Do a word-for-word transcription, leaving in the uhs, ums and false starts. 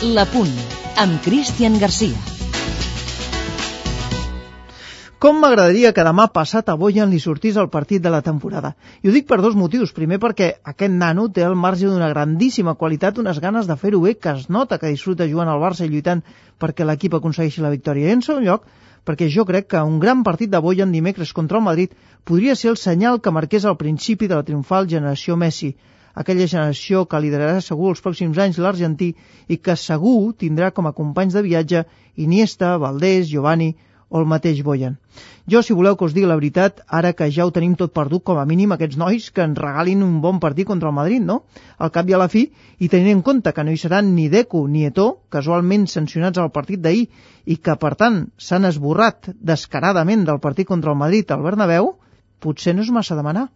La Punt, amb Cristian Garcia. Com m'agradaria que demà passat a Bojan li sortís el partit de la temporada. I ho dic per dos motius. Primer, perquè aquest nano té al marge d'una grandíssima qualitat unes ganes de fer-ho bé, que es nota que disfruta jugant al Barça i lluitant perquè l'equip aconsegueixi la victòria. I en segon lloc, perquè jo crec que un gran partit de Bojan dimecres contra el Madrid podria ser el senyal que marqués el principi de la triomfal generació Messi, aquella generació que liderarà segur els pròxims anys l'argentí i que segur tindrà com a companys de viatge Iniesta, Valdés, Giovanni o el mateix Bojan. Jo, si voleu que us digui la veritat, ara que ja ho tenim tot perdut, com a mínim aquests nois que ens regalin un bon partit contra el Madrid, no? Al cap i a la fi, i tenint en compte que no hi seran ni Deco ni Eto'o, casualment sancionats al partit d'ahir, i que, per tant, s'han esborrat descaradament del partit contra el Madrid al Bernabéu, potser no és massa demanar.